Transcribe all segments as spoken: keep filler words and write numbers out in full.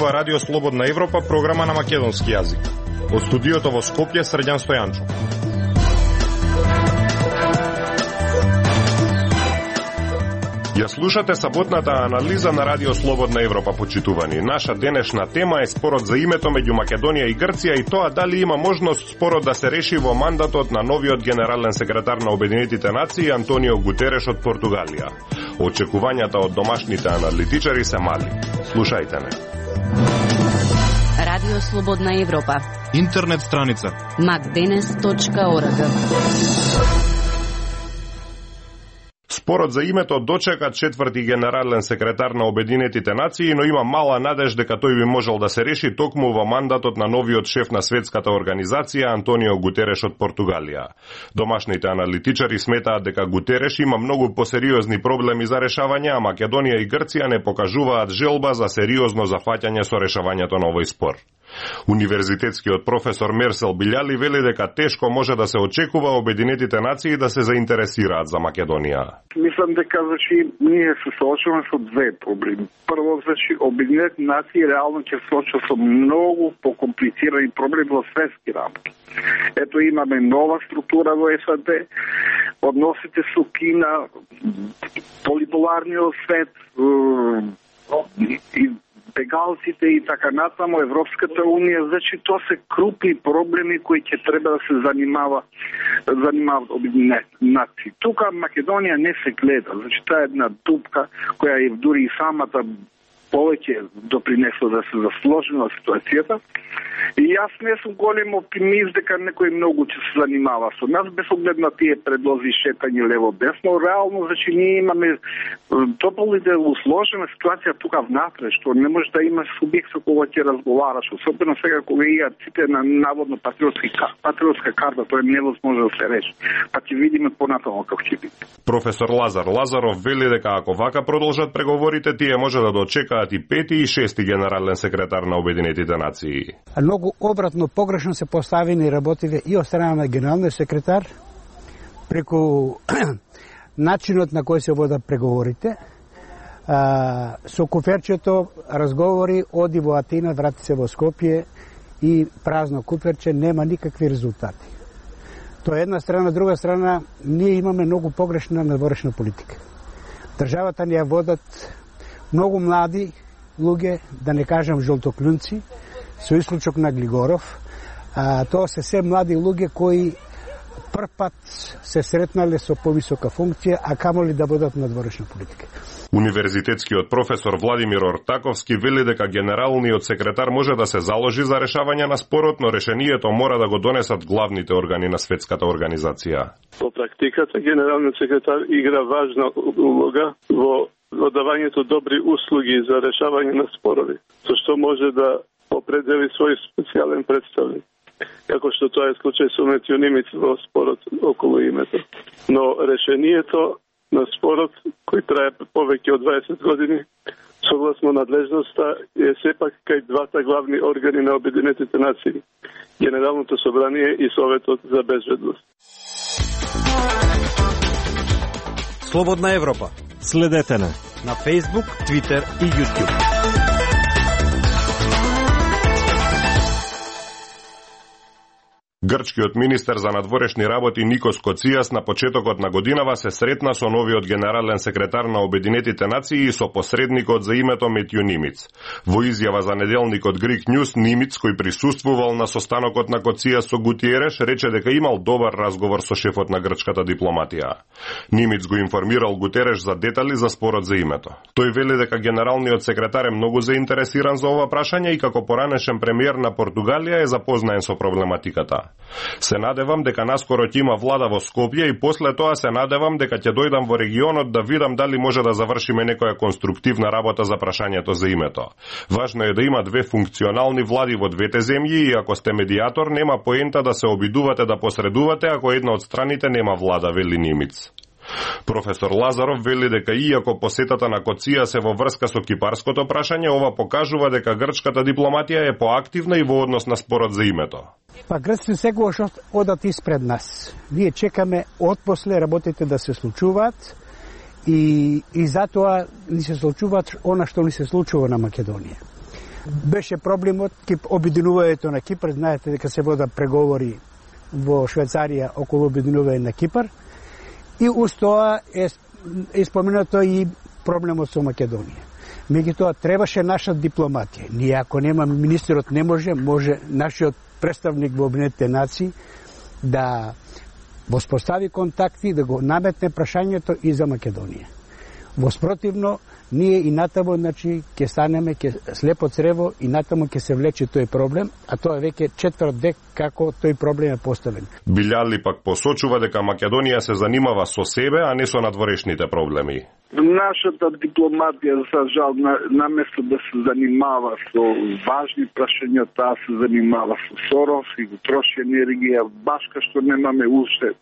слушнува Радио Слободна Европа, програма на македонски јазик. Од студиото во Скопје, Срđan Стојанчо. Ја слушате саботната анализа на Радио Слободна Европа, почитувани. Наша денешна тема е спорот за името меѓу Македонија и Грција и тоа дали има можност спорот да се реши во мандатот на новиот генерален секретар на Обединетите нации Антонио Гутереш од Португалија. Очекувањата од домашните аналитичари се мали. Слушајте не. Радио Слободна Европа. Интернет страница макденес точка орг. Спорот за името дочека четврти генерален секретар на Обединетите нации, но има мала надеж дека тој би можел да се реши токму во мандатот на новиот шеф на светската организација Антонио Гутереш од Португалија. Домашните аналитичари сметаат дека Гутереш има многу посериозни проблеми за решавање, а Македонија и Грција не покажуваат желба за сериозно зафаќање со решавањето на овој спор. Универзитетскиот професор Мерсел Билјали вели дека тешко може да се очекува Обединетите нации да се заинтересираат за Македонија. Мислам дека значи ние се соочуваме со две проблеми. Прво, значи Обединетите нации реално ќе се соочува со многу покомплицирани проблеми во светски рамки. Ето имаме нова структура во САД, односите со Кина, полиполарниот свет и бегалците и така натаму, Европската унија, значи тоа се крупни проблеми кои ќе треба да се занимава занимаваат Обединетите нации. Тука Македонија не се гледа, значи таа е една дупка која и дури и самата повеќе допринесла да се засложена ситуацијата. И јас не сум голем оптимист дека некој многу ќе се занимава со нас, без оглед на тие предлози шетање лево-десно. Реално, значи, ние имаме тополите усложена ситуација тука внатре, што не може да има субјект со кога ќе разговараш, особено сега кога има ците на наводно патриотски патриотска карта, тоа е невозможно да се реши. Па ќе видиме понатаму како ќе биде. Професор Лазар Лазаров вели дека ако вака продолжат преговорите, тие може да дочекаат и пети и шести генерален секретар на Обединетите нации. Многу обратно, погрешно се поставени работите и од страна на генералниот секретар преку начинот на кој се водат преговорите. А, со куферчето разговори, оди во Атина, врати се во Скопје и празно куферче, нема никакви резултати. Тоа е една страна, друга страна, ние имаме многу погрешна надворешна политика. Државата ни ја водат многу млади луѓе, да не кажам жолтоклюнци, со исклучок на Глигоров. А, тоа се се млади луѓе кои прв пат се сретнале со повисока функција, а камоли да водат надворешна политика. Универзитетскиот професор Владимир Ортаковски вели дека генералниот секретар може да се заложи за решавање на спорот, но решението мора да го донесат главните органи на светската организација. Во практиката генералниот секретар игра важна улога во во давањето добри услуги за решавање на спорови, со што може да определи свој специјален представник, како што тоа е случај со Метјо Нимиц во спорот околу името. Но решението на спорот, кој трае повеќе од дваесет години, согласно надлежноста, е сепак кај двата главни органи на Обединетите нации, Генералното собрание и Советот за безбедност. Слободна Европа. Следете на на Facebook, Twitter и YouTube. Грчкиот министер за надворешни работи Никос Коцијас на почетокот на годинава се сретна со новиот генерален секретар на Обединетите нации и со посредникот за името Метјо Нимиц. Во изјава за неделникот Greek News, Нимиц, кој присуствувал на состанокот на Коцијас со Гутиереш, рече дека имал добар разговор со шефот на грчката дипломатија. Нимиц го информирал Гутереш за детали за спорот за името. Тој вели дека генералниот секретар е многу заинтересиран за ова прашање и како поранешен премиер на Португалија е запознаен со проблематиката. Се надевам дека наскоро ќе има влада во Скопје и после тоа се надевам дека ќе дојдам во регионот да видам дали може да завршиме некоја конструктивна работа за прашањето за името. Важно е да има две функционални влади во двете земји и ако сте медиатор нема поента да се обидувате да посредувате ако една од страните нема влада, вели Нимиц. Професор Лазаров вели дека иако посетата на Коцијас е во врска со кипарското прашање, ова покажува дека грчката дипломатија е поактивна и во однос на спорот за името. Па грците секогаш одат испред нас. Ние чекаме отпосле работите да се случуваат и, и затоа ни се случуваат она што ни се случува на Македонија. Беше проблемот обединувањето на Кипар. Знаете дека се вода преговори во Швајцарија околу обединување на Кипар. И уз тоа е, е споменато и проблемот со Македонија. Меѓутоа требаше наша дипломатија. Ние ако нема министерот не може, може нашиот представник во Обединетите нации да воспостави контакти, да го наметне прашањето и за Македонија. Воспротивно, ние и натаму, значи, ќе станеме ќе слепо црево и натаму ќе се влече тој проблем, а тоа е веќе четврт век како тој проблем е поставен. Билјали пак посочува дека Македонија се занимава со себе, а не со надворешните проблеми. Нашата дипломатија, за жал, на, наместо да се занимава со важни прашања, таа се занимава со Сорос и го троши енергија, баш кај што немаме уште,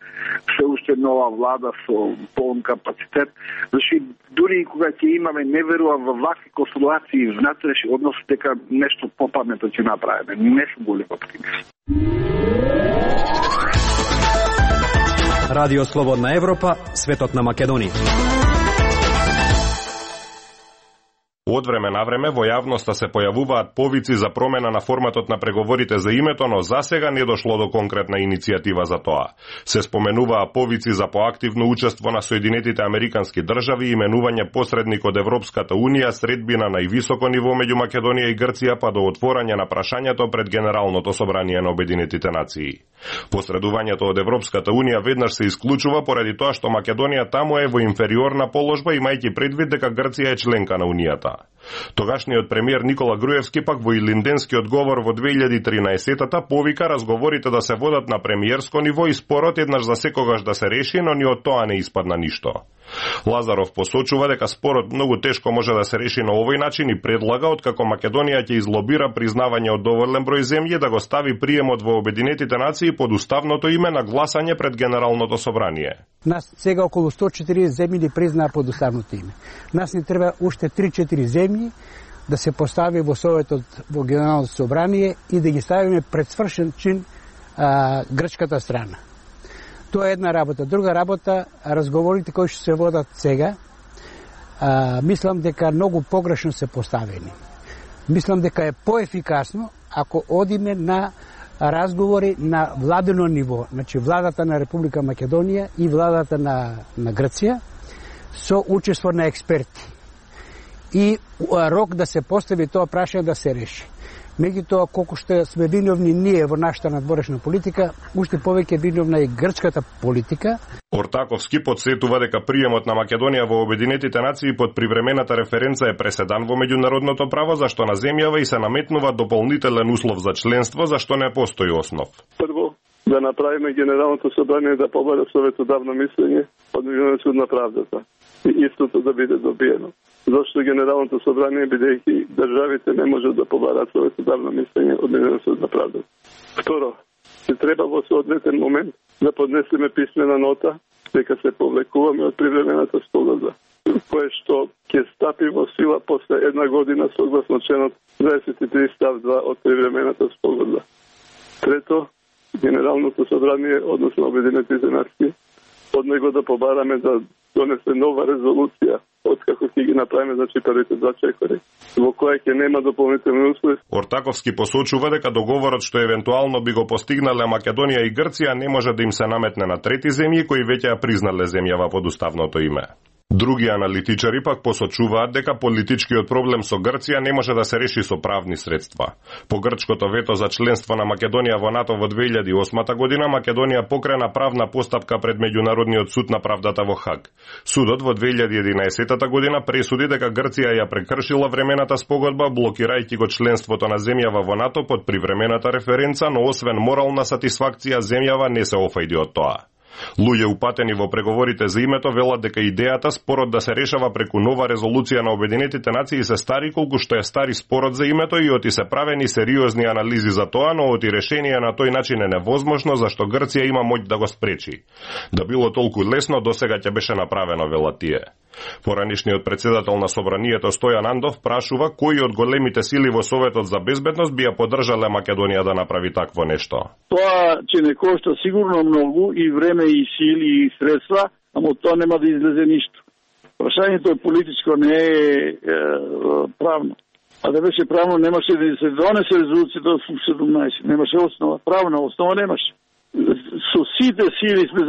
се уште нова влада со полн капацитет. Значи, дури и кога ќе имаме, не верувам во вакви консултации и внатрешни односи, дека нешто попаметно ќе направиме. Не сум голем оптимист. Радио Слободна Европа, светот на Македонија. Од време на време во јавноста се појавуваат повици за промена на форматот на преговорите за името, но засега не дошло до конкретна иницијатива за тоа. Се споменуваа повици за поактивно учество на Соединетите Американски држави и именување посредник од Европската Унија, средбина на највисоко ниво меѓу Македонија и Грција, па до отворање на прашањето пред Генералното собрание на Обединетите нации. Посредувањето од Европската Унија веднаш се исклучува поради тоа што Македонија таму е во инфериорна положба, имајќи предвид дека Грција е членка на Унијата. Тогашниот премиер Никола Груевски пак во илинденскиот говор во две илјади и тринаесетта повика разговорите да се водат на премиерско ниво и спорот еднаш за секогаш да се реши, но ни од тоа не испадна ништо. Лазаров посочува дека спорот многу тешко може да се реши на овој начин и предлага откако Македонија ќе излобира признавање од доволен број земји да го стави приемот во Обединетите нации под уставното име на гласање пред Генералното собрание. Нас сега околу сто и четириесет земји ни признаа под уставното име. Нас ни треба уште три-четири земји да се постави во Советот во Генералното собрание и да ги ставиме пред свршен чин а, грчката страна. Тоа е една работа. Друга работа, разговорите кои што се водат сега, а, мислам дека многу погрешно се поставени. Мислам дека е поефикасно ако одиме на разговори на владено ниво, значи владата на Република Македонија и владата на, на Грција, со учество на експерти. И а, рок да се постави тоа прашање да се реши. Меѓутоа, колку што сме виновни ние во нашата надворешна политика, уште повеќе виновна и грчката политика. Ортаковски подсетува дека приемот на Македонија во Обединетите нации под привремената референца е преседан во меѓународното право, зашто на земјава и се наметнува дополнителен услов за членство, зашто не постои основ. Прво, да направиме Генералното собрание да побара советодавно мислење од Меѓународниот суд на правдата. И истото да биде добиено. Зашто Генералното собрание, бидејќи државите не можат да побарат советодавно мислење од Меѓународниот суд на правдата. Второ, се треба во соодветен момент да поднесеме писмена нота дека се повлекуваме од привремената спогодба, кое што ќе стапи во сила после една година согласно членот дваесет и три став два од привремената спогодба. Трето, Генералното собрание, односно Обединетите нации, од него да побараме да донесе нова резолуција откако ќе ги направиме значи првите два чекори, во која ќе нема дополнителни услови. Ортаковски посочува дека договорот што евентуално би го постигнале Македонија и Грција не може да им се наметне на трети земји кои веќе ја признале земјава под уставното име. Други аналитичари пак посочуваат дека политичкиот проблем со Грција не може да се реши со правни средства. По грчкото вето за членство на Македонија во НАТО во две илјади и осма година, Македонија покрена правна постапка пред Меѓународниот суд на правдата во Хаг. Судот во две илјади и единаесетта година пресуди дека Грција ја прекршила времената спогодба, блокирајќи го членството на земјава во НАТО под привремената референца, но освен морална сатисфакција, земјава не се офајди од тоа. Луѓе упатени во преговорите за името велат дека идејата спорот да се решава преку нова резолуција на Обединетите нации се стари колку што е стари спорот за името и оти се правени сериозни анализи за тоа, но оти решение на тој начин е невозможно зашто Грција има моќ да го спречи. Да било толку лесно досега ќе беше направено, велат тие. Поранишниот председател на Собранието Стојан Андов прашува кои од големите сили во Советот за безбедност би ја поддржале Македонија да направи такво нешто. Тоа ќе не кошта сигурно многу и време и сили и средства, ама тоа нема да излезе ништо. Прашањето е политичко, не е, е правно. А да беше правно, немаше да се донесе резолуцијата од ФУК седумнаесет. Немаше основа, правна основа немаше. Со сите сили сме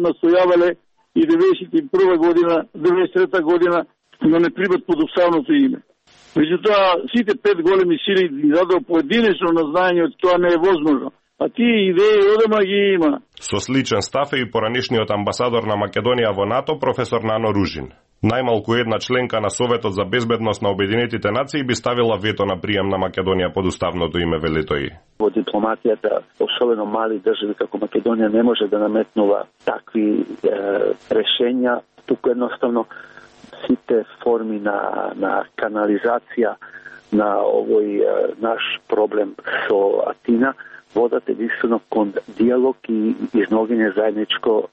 настојавале и деветдесет и прва година, деветдесет и трета година да не прибат под уставното име. Меѓутоа, сите пет големи сили ни дадоа поединечно назнање од тоа не е возможно. А тие идеи одама ги има. Со сличен став е и поранишниот амбасадор на Македонија во НАТО, професор Нано Ружин. Најмалку една членка на Советот за безбедност на Обединетите нации би ставила вето на прием на Македонија под уставното име, вели тој. Во дипломатијата, особено мали држави како Македонија, не може да наметнува такви е, решења. Туку едноставно сите форми на, на канализација на овој е, наш проблем со Атина водат единствено кон диалог и изнаоѓање заедничко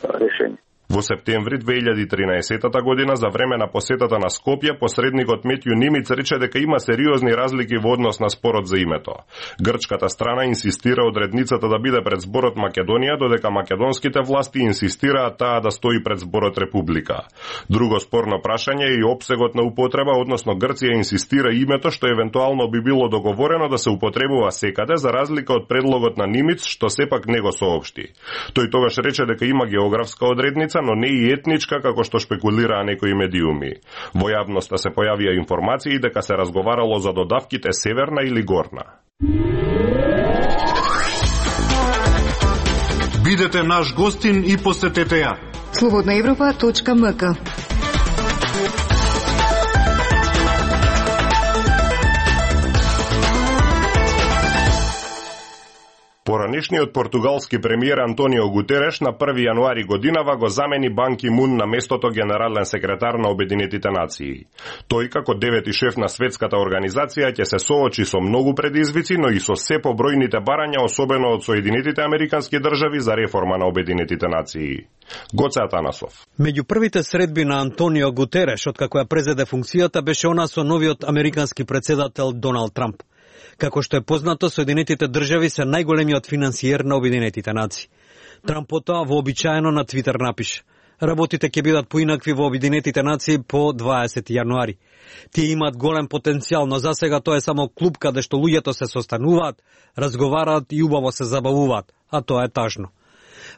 решење. Во септември две илјади и тринаесета година, за време на посетата на Скопје, посредникот Метју Нимиц рече дека има сериозни разлики во однос на спорот за името. Грчката страна инсистира одредницата да биде пред зборот Македонија, додека македонските власти инсистираат таа да стои пред зборот Република. Друго спорно прашање е и опсегот на употреба, односно Грција инсистира името што евентуално би било договорено да се употребува секаде, за разлика од предлогот на Нимиц, што сепак не го соопшти. Тој тогаш рече дека има географска одредница, но не и етничка, како што шпекулираа некои медиуми. Во јавноста се појавија информации дека се разговарало за додавките северна или горна. Бидете наш гостин и посетете ја. слободна европа точка ем ка. Поранешниот португалски премиер Антонио Гутереш на први јануари годинава го замени Бан Ки Мун на местото генерален секретар на Обединетите нации. Тој, како девети шеф на светската организација, ќе се соочи со многу предизвици, но и со се побројните барања, особено од Соединетите американски држави, за реформа на Обединетите нации. Гоце Атанасов. Меѓу првите средби на Антонио Гутереш, откако ја презеде функцијата, беше она со новиот американски председател Доналд Трамп. Како што е познато, Соединетите држави се најголемиот финансиер на Обединетите нации. Трамп потоа вообичаено на Твитер напише: работите ќе бидат поинакви во Обединетите нации по дваесети јануари. Тие имаат голем потенцијал, но засега тоа е само клуб каде што луѓето се состануваат, разговараат и убаво се забавуваат, а тоа е тажно.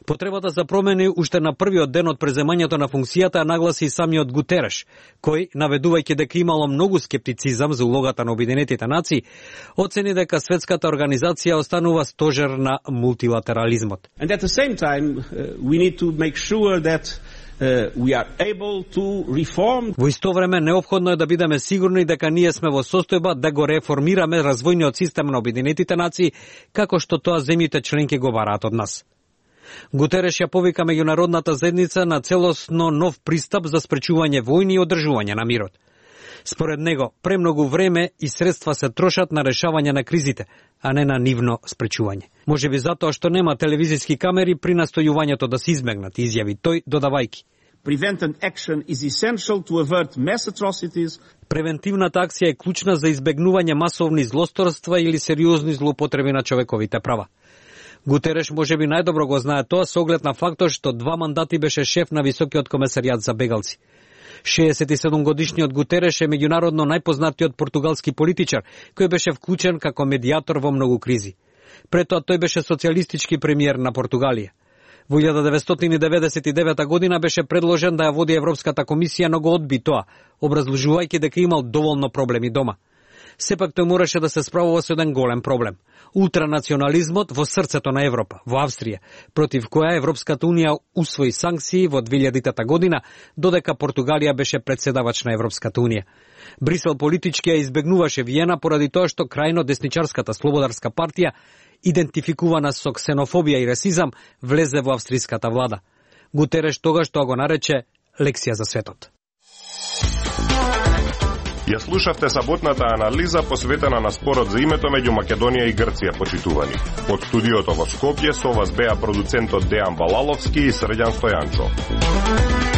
Потребата за промени уште на првиот ден од преземањето на функцијата нагласи и самиот Гутереш, кој, наведувајќи дека имало многу скептицизам за улогата на Обединетите нации, оцени дека светската организација останува стожер на мултилатерализмот. And at the same time, uh, we need to make sure that Uh, we are able to reform. Во исто време неопходно е да бидеме сигурни дека ние сме во состојба да го реформираме развојниот систем на Обединетите нации, како што тоа земјите членки го бараат од нас. Гутереш ја повика меѓународната заедница на целосно нов пристап за спречување војни и одржување на мирот. Според него, премногу време и средства се трошат на решавање на кризите, а не на нивно спречување. Може би затоа што нема телевизиски камери при настојувањето да се избегнат, изјави тој, додавајки: Preventive action is essential to avert mass atrocities. Превентивната акција е клучна за избегнување масовни злосторства или сериозни злоупотреби на човековите права. Гутереш може би најдобро го знае тоа со оглед на фактот што два мандати беше шеф на Високиот комесаријат за бегалци. шеесет и седум годишниот Гутереш е меѓународно најпознатиот португалски политичар, кој беше вклучен како медијатор во многу кризи. Пред тоа тој беше социјалистички премиер на Португалија. Во илјада деветстотини и деветдесет и девета година беше предложен да ја води Европската комисија, но го одби тоа, образложувајќи дека имал доволно проблеми дома. Сепак тој мораше да се справува со еден голем проблем – ултранационализмот во срцето на Европа, во Австрија, против која Европската унија усвои санкции во две илјадитата година, додека Португалија беше претседавач на Европската унија. Брисел политички ја избегнуваше Виена поради тоа што крајно десничарската Слободарска партија, идентификувана со ксенофобија и расизам, влезе во австриската влада. Гутереш тогаш тоа го нарече лекција за светот. Ја слушавте саботната анализа посветена на спорот за името меѓу Македонија и Грција, почитувани. Од студиото во Скопје со вас беа продуцентот Дејан Балаловски и Срđan Стојанчо.